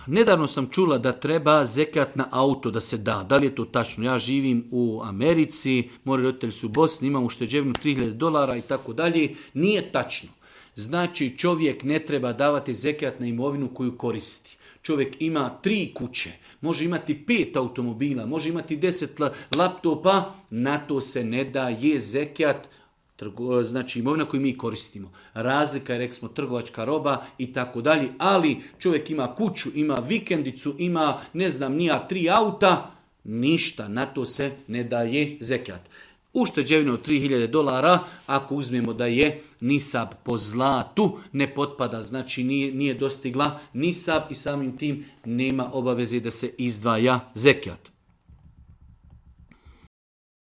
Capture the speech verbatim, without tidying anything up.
Nedavno sam čula da treba zekat na auto da se da. Da li je to tačno? Ja živim u Americi, moji roditelji su u Bosni, imam ušteđevinu tri hiljade dolara i tako dalje. Nije tačno. Znači čovjek ne treba davati zekat na imovinu koju koristi. Čovjek ima tri kuće, može imati pet automobila, može imati deset laptopa, na to se ne daje zekat. Znači imovina koju mi koristimo. Razlika je, rekli smo, trgovačka roba i tako dalje, ali čovjek ima kuću, ima vikendicu, ima, ne znam, nija tri auta, ništa, na to se ne daje zekat. Ušteđevina od tri hiljade dolara, ako uzmemo da je nisab po zlatu, ne potpada, znači nije, nije dostigla nisab i samim tim nema obaveze da se izdvaja zekat.